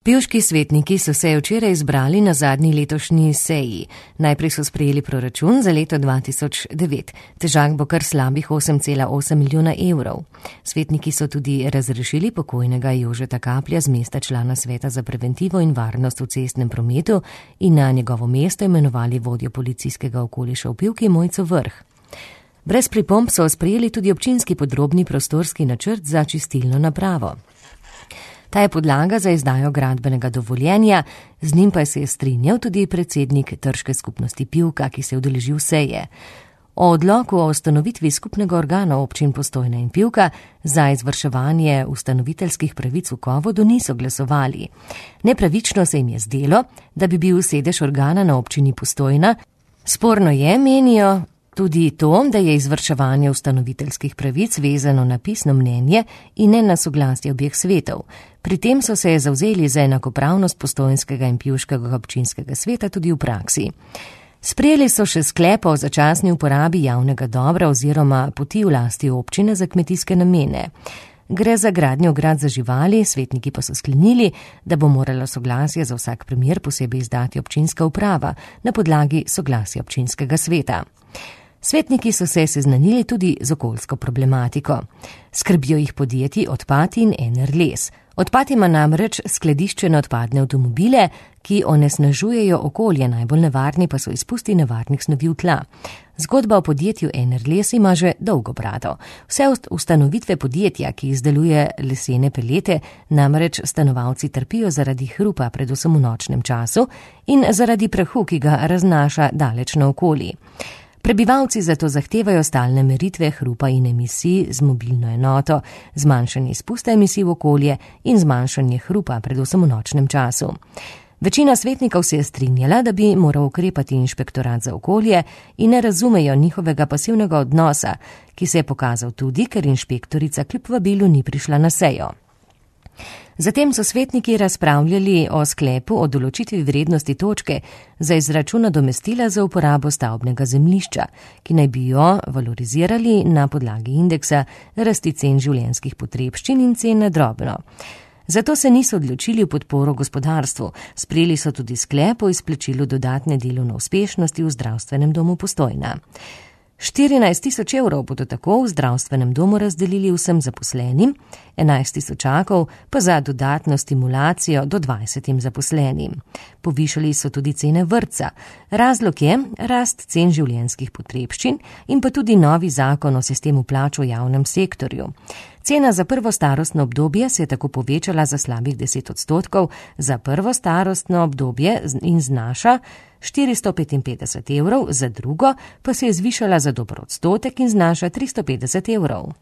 Pivški svetniki so se včeraj izbrali na zadnji letošnji seji. Najprej so sprejeli proračun za leto 2009. Težak bo kar slabih 8,8 milijona evrov. Svetniki so tudi razrešili pokojnega Jožeta Kaplja z mesta člana Sveta za preventivo in varnost v cestnem prometu in na njegovo mesto imenovali vodjo policijskega okoliša v Pivki Mojco Vrh. Brez pripomb so sprejeli tudi občinski podrobni prostorski načrt za čistilno napravo. Ta je podlaga za izdajo gradbenega dovoljenja, z njim pa se je strinjal tudi predsednik Trške skupnosti Pivka, ki se je udeležil seje. O odloku o ustanovitvi skupnega organa občin Postojna in Pivka za izvrševanje ustanoviteljskih pravic v Kovodu niso glasovali. Nepravično se jim je zdelo, da bi bil sedež organa na občini Postojna. Sporno je, menijo, tudi to, da je izvrševanje ustanoviteljskih pravic vezano na pisno mnenje in ne na soglasje obeh svetov. Pri tem so se zavzeli za enakopravnost Postojnskega in Pivškega občinskega sveta tudi v praksi. Sprejeli so še sklep o začasni uporabi javnega dobra oziroma poti v lasti občine za kmetijske namene. Gre za gradnjo ograd za živali, svetniki pa so sklenili, da bo morala soglasje za vsak primer posebej izdati občinska uprava na podlagi soglasja občinskega sveta. Svetniki so se seznanili tudi z okoljsko problematiko. Skrbijo jih podjetji Odpati in Enerles. Odpad ima namreč skladiščene odpadne avtomobile, ki onesnažujejo okolje, najbolj nevarni pa so izpusti nevarnih snovi v tla. Zgodba o podjetju Enerles ima že dolgo brado. Vse ustanovitve podjetja, ki izdeluje lesene pelete, namreč stanovalci trpijo zaradi hrupa, predvsem v nočnem času, in zaradi prahu, ki ga raznaša daleč naokoli. Prebivalci zato zahtevajo stalne meritve hrupa in emisij z mobilno enoto, zmanjšanje izpusta emisij v okolje in zmanjšanje hrupa, predvsem v nočnem času. Večina svetnikov se je strinjala, da bi moral ukrepati inšpektorat za okolje in ne razumejo njihovega pasivnega odnosa, ki se je pokazal tudi, ker inšpektorica kljub vabilu ni prišla na sejo. Zatem so svetniki razpravljali o sklepu o določitvi vrednosti točke za izračun nadomestila za uporabo stavbnega zemljišča, ki naj bi jo valorizirali na podlagi indeksa rasti cen življenjskih potrebščin in cen na drobno. Zato se niso odločili v podporo gospodarstvu, sprejeli so tudi sklep o izplačilu dodatne delovne uspešnosti v zdravstvenem domu Postojna. 14 tisoč evrov bodo tako v zdravstvenem domu razdelili vsem zaposlenim, 11 tisočakov pa za dodatno stimulacijo do 20 zaposlenim. Povišali so tudi cene vrtca. Razlog je rast cen življenjskih potrebščin in pa tudi novi zakon o sistemu plač v javnem sektorju. Cena za prvo starostno obdobje se je tako povečala za slabih 10%, za prvo starostno obdobje in znaša 455 evrov, za drugo pa se je zvišala za dober odstotek in znaša 350 evrov.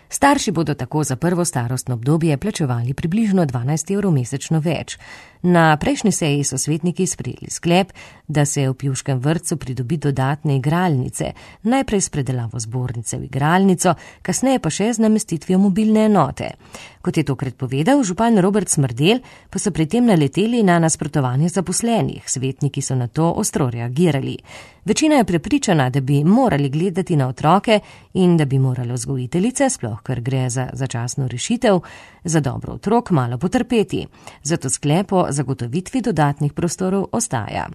Starši bodo tako za prvo starostno obdobje plačevali približno 12 evrov mesečno več. Na prejšnji seji so svetniki sprejeli sklep, da se v Pivškem vrtcu pridobi dodatne igralnice, najprej s predelavo zbornice v igralnico, kasneje pa še z namestitvijo mobilne enote. Kot je tokrat povedal župan Robert Smrdel, pa so pri tem naleteli na nasprotovanje zaposlenih. Svetniki so na to ostro reagirali. Večina je prepričana, da bi morali gledati na otroke in da bi morali vzgojiteljice, sploh ker gre za začasno rešitev, za dobro otrok malo potrpeti. Zato sklep o zagotovitvi dodatnih prostorov ostaja.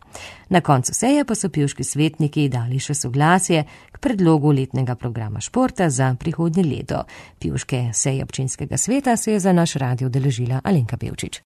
Na koncu seje pa so pivški svetniki dali še soglasje k predlogu letnega programa športa za prihodnje leto. Pivške seje občinskega sveta se je za naš radio udeležila Alenka Pevčič.